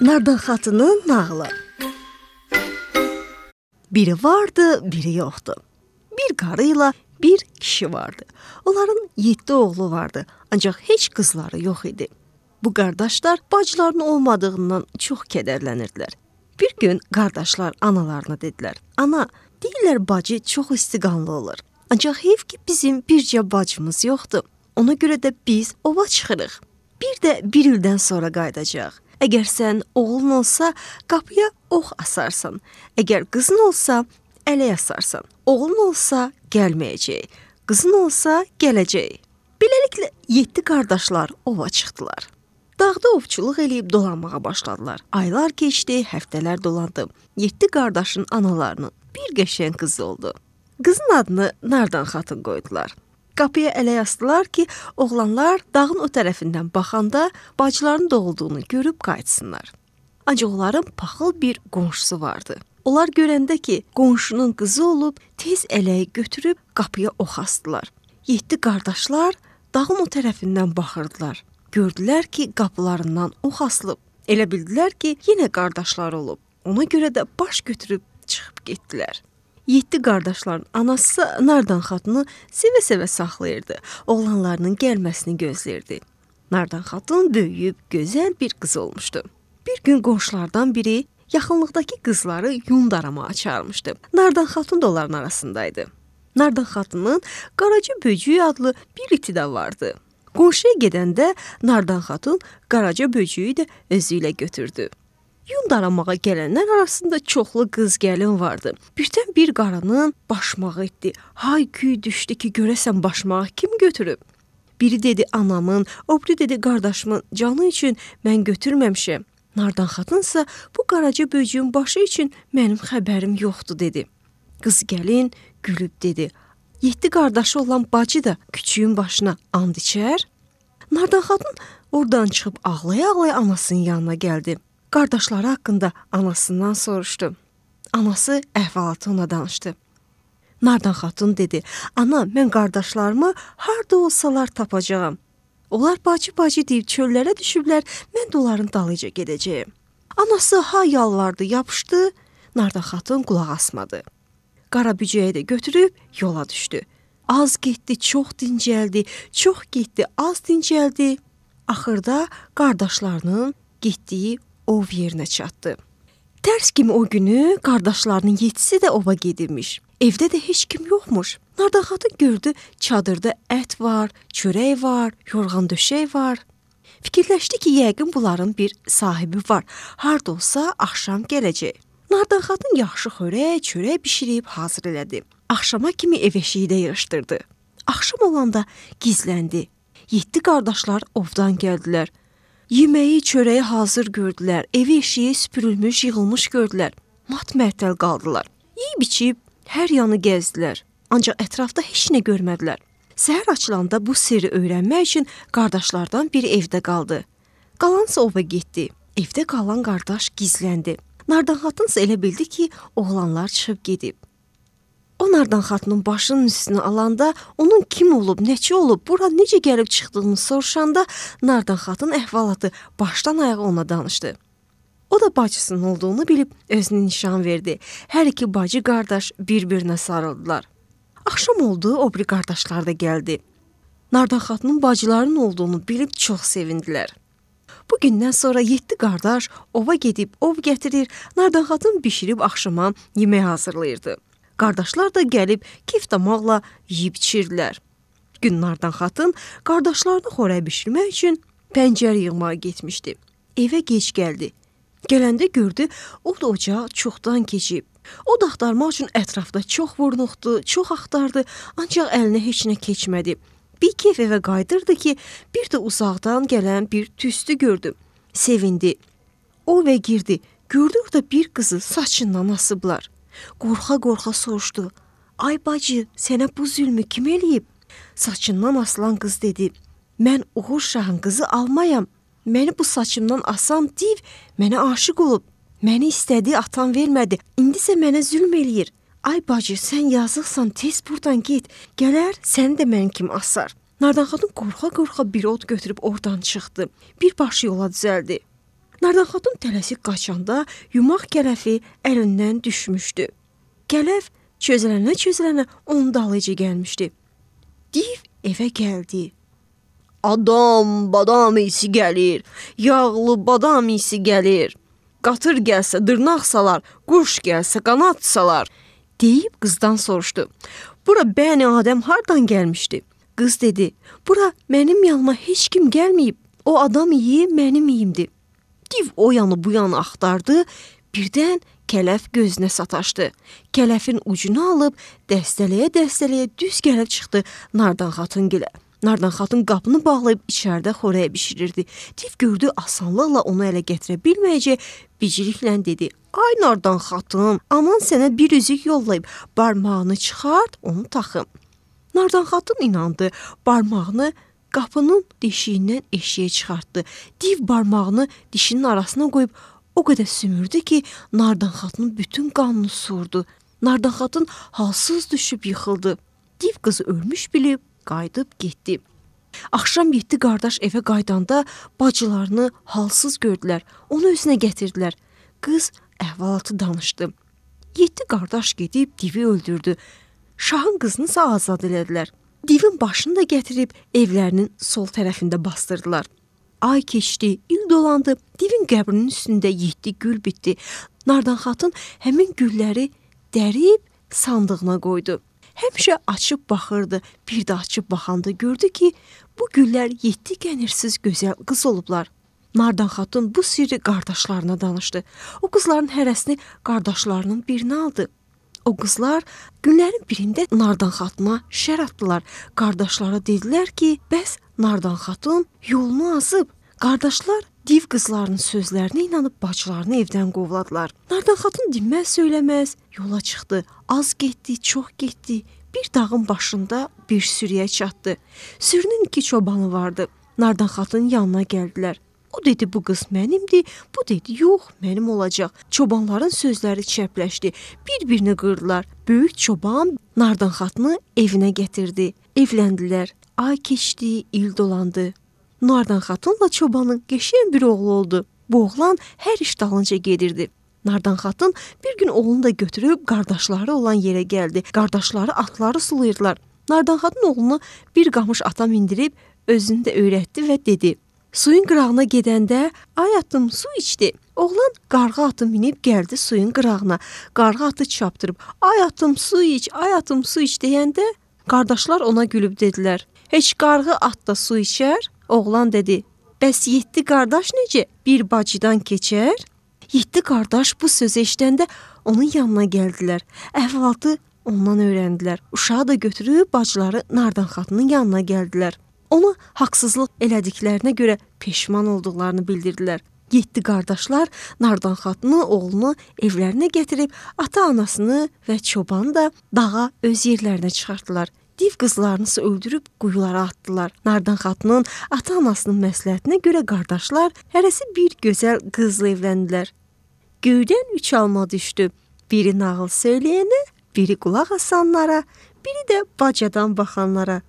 Nardan xatının nağılı. Biri vardı, biri yoxdu. Bir qarı ilə bir kişi vardı. Onların 7 oğlu vardı, ancaq heç qızları yox idi. Bu qardaşlar bacılarının olmadığından çox kədərlənirdilər. Bir gün qardaşlar analarına dedilər: "Ana, deyirlər bacı çox istiqanlı olur. Ancaq heyf ki bizim bircə bacımız yoxdur. Ona görə də biz ova çıxırıq. Bir də bir ildən sonra qayıdacaq. Əgər sən oğlun olsa, qapıya ox asarsan. Əgər qızın olsa, ələk asarsan. Oğlun olsa, gəlməyəcək. Qızın olsa, gələcək." Beləliklə 7 qardaşlar ova çıxdılar. Dağda ovçuluq eləyib dolanmağa başladılar. Aylar keçdi, həftələr dolandı. 7 qardaşın analarının bir qəşəng qızı oldu. Qızın adını Nardan xatın qoydular. Qapıya ələk asdılar ki, oğlanlar dağın o tərəfindən baxanda bacılarının doğulduğunu görüb qayıtsınlar. Ancaq onların paxıl bir qonşusu vardı. Onlar görəndə ki, qonşunun qızı olub, tez ələyi götürüb qapıya ox asdılar. 7 qardaşlar dağın o tərəfindən baxırdılar. Gördülər ki, qapılarından ox asılıb. Elə bildilər ki, yenə qardaşlar olub. Ona görə də baş götürüb çıxıb getdilər. 7 qardaşların anası Nardan xatını sevə-sevə saxlayırdı. Oğlanlarının gəlməsini gözləyirdi. Nardan xatın böyüyüb gözəl bir qız olmuşdu. Bir gün qonşulardan biri yaxınlıqdakı qızları yun daramağa çağırmışdı. Nardan xatın da onların arasındaydı. Nardan xatının Qaraca böcüyü adlı bir iti də vardı. Qonşuya gedəndə Nardan xatın Qaraca böcüyü də özü ilə götürdü. Yun daramağa gələnlər arasında çoxlu qız gəlin vardı. Birdən bir qarının başmağı etdi. Hay-küy düşdü ki, görəsən başmağı kim götürüb? Biri dedi anamın, o biri dedi qardaşımın canı üçün mən götürməmişəm. Nardan xatınsa bu Qaraca böcüyün başı üçün mənim xəbərim yoxdur dedi. Qız gəlin gülüb dedi: 7 qardaşı olan bacı da küçüyün başına and içər? Nardan xatın oradan çıxıb ağlaya-ağlaya anasının yanına gəldi. Qardaşları haqqında anasından soruşdu. Anası əhvalatı ona danışdı. Nardan xatun dedi: "Ana, mən qardaşlarımı harda olsalar tapacağam. Onlar bacı-bacı deyib çöllərə düşüblər, mən də onların dalıyca gedəcəyim." Anası ha yalvardı, yapışdı. Nardan xatun qulaq asmadı. Qara bücəyi də götürüb yola düşdü. Az getdi, çox dincəldi, çox getdi, az dincəldi. Axırda qardaşlarının getdiyi ov yerinə çatdı. Tərs kimi o günü qardaşlarının 7-si də ova gedirmiş. Evdə də heç kim yoxmuş. Nardan xatın gördü, çadırda ət var, çörək var, yorğan döşək var. Fikirləşdi ki, yəqin bunların bir sahibi var. Harda olsa axşam gələcək. Nardan xatın yaxşı xörək, çörək bişirib hazır elədi. Axşama kimi ev eşiyi də yığışdırdı. Axşam olanda gizləndi. 7 qardaşlar ovdan gəldilər. Yeməyi, çörəyi hazır gördülər. Evi eşiyi süpürülmüş, yığılmış gördülər. Mat-məəttəl qaldılar. Yeyib-içib hər yanı gəzdilər. Ancaq ətrafda heç nə görmədilər. Səhər açılanda bu sirri öyrənmək üçün qardaşlardan biri evdə qaldı. Qalansa ova getdi. Evdə qalan qardaş gizləndi. Nardan xatınsa elə bildi ki, oğlanlar çıxıb gedib. O Nardan xatının başının üstünü alanda, onun kim olub, neçə olub, bura necə gəlib çıxdığını soruşanda Nardan xatın əhvalatı başdan ayağa ona danışdı. O da bacısının olduğunu bilib özünü nişan verdi. Hər iki bacı qardaş bir-birinə sarıldılar. Axşam oldu, o biri qardaşlar da gəldi. Nardan xatının bacılarının olduğunu bilib çox sevindilər. Bu gündən sonra 7 qardaş ova gedib ov gətirir, Nardan xatın bişirib axşama yemək hazırlayırdı. Qardaşlar da gəlib keyf damaqla yeyib içirdilər. Gün Nardan xatın qardaşlarını xörək bişirmək üçün pəncər yığmağa getmişdi. Evə gec gəldi. Gələndə gördü, o da ocağı çoxdan keçib. O da axtarmaq üçün ətrafda çox vurnuxdu, çox axtardı, ancaq əlinə heç nə keçmədi. Bir keyf evə qayıdırdı ki, bir də uzaqdan gələn bir tüstü gördü. Sevindi. O evə girdi. Gördü orada bir qızı saçından asıblar. Qorxa-qorxa soruşdu: "Ay bacı, sənə bu zülmü kim eləyib?" Saçından asılan qız dedi: "Mən Uğur Şahın qızı almayam. Məni bu saçımdan asan div mənə aşiq olub. Məni istədi, atam vermədi. İndisə mənə zülm eləyir. Ay bacı, sən yazıqsan, tez buradan get. Gələr, səni də mənim kimi asar." Nardan xatun qorxa-qorxa bir od götürüb oradan çıxdı. Bir başı yola düzəldi. Nardan xatun tələsik qaçanda yumaq kələfi əlindən düşmüşdü. Kələf çözülənə onun dalıyca gəlmişdi. Div evə gəldi. Adam badam isi gəlir, yağlı badam isi gəlir. Qatır gəlsə dırnaq salar, quş gəlsə qanat salar. Deyib qızdan soruşdu. Bura bəni Adəm hardan gəlmişdi? Qız dedi, bura mənim yanıma heç kim gəlməyib. O adam iyi, mənim iyimdir. Div o yanı bu yanı axtardı. Birdən kələf gözünə sataşdı. Kələfin ucunu alıb dəstələyə düz gəlib çıxdı Nardan xatun gilə. Nardan xatun qapını bağlayıb içəridə xörək bişirirdi. Div gördü asanlıqla onu ələ gətirə bilməyəcək, bicliklə dedi. Ay Nardan xatun, aman sənə bir üzük yollayıb, barmağını çıxart, onu taxım. Nardan xatun inandı, barmağını qapının deşiyindən eşiyə çıxartdı. Div barmağını dişinin arasına qoyub o qədər sümürdü ki, Nardan xatunun bütün qanını surdu. Nardan xatun halsız düşüb yıxıldı. Div qızı ölmüş bilib qayıdıb getdi. Axşam 7 qardaş evə qayıdanda bacılarını halsız gördülər. Onu özünə gətirdilər. Qız əhvalatı danışdı. 7 qardaş gedib divi öldürdü. Şahın qızını isə azad elədilər. Divin başını da gətirib evlərinin sol tərəfində bastırdılar. Ay keçdi, il dolandı. Divin qəbrinin üstündə 7 gül bitdi. Nardan xatun həmin gülləri dərib sandığına qoydu. Həmişə açıb baxırdı. Bir də açıb baxanda gördü ki, bu güllər 7 qənirsiz gözəl qız olublar. Nardan xatun bu sirri qardaşlarına danışdı. O qızların hərəsini qardaşlarının birinə aldı. O qızlar günlərin birində Nardan xatuna şər atdılar. Qardaşlara dedilər ki, bəs Nardan xatun yolunu azıb. Qardaşlar div qızlarının sözlərinə inanıb bacılarını evdən qovladılar. Nardan xatun dinməz söyləməz yola çıxdı. Az getdi, çox getdi. Bir dağın başında bir sürüyə çatdı. Sürünün 2 çobanı vardı. Nardan xatunun yanına gəldilər. O dedi, bu qız mənimdir. Bu dedi, yox, mənim olacaq. Çobanların sözləri çəpləşdi. Bir-birini qırdılar. Böyük çoban Nardan xatunu evinə gətirdi. Evləndilər. Ay keçdi, il dolandı. Nardan xatunla çobanın qəşəng bir oğlu oldu. Bu oğlan hər iş dalınca gedirdi. Nardan xatun bir gün oğlunu da götürüb qardaşları olan yerə gəldi. Qardaşları atları sulayırdılar. Nardan xatun oğlunu bir qamış ata mindirib özünü də öyrətdi və dedi: Suyun qırağına gedəndə ay atım su içdi. Oğlan qarğa atı minib gəldi suyun qırağına. Qarğa atı çapdırıb ay atım su iç, ay atım su iç deyəndə qardaşlar ona gülüb dedilər: Heç qarğı at da su içər? Oğlan dedi: Bəs 7 qardaş necə? Bir bacıdan keçər? 7 qardaş bu sözü eşidəndə onun yanına gəldilər. Əhvalatı ondan öyrəndilər. Uşağı da götürüb bacıları Nardan xatunun yanına gəldilər. Ona haqsızlıq elədiklərinə görə peşman olduqlarını bildirdilər. 7 qardaşlar Nardan xatunu, oğlunu evlərinə gətirib ata-anasını və çobanı da dağa öz yerlərinə çıxartdılar. Div qızlarını öldürüb quyulara atdılar. Nardan xatunun ata-anasının məsləhətinə görə qardaşlar hərəsi bir gözəl qızla evləndilər. Göydən 3 alma düşdü. Biri nağıl söyləyənə, biri qulaq asanlara, biri də bacadan baxanlara.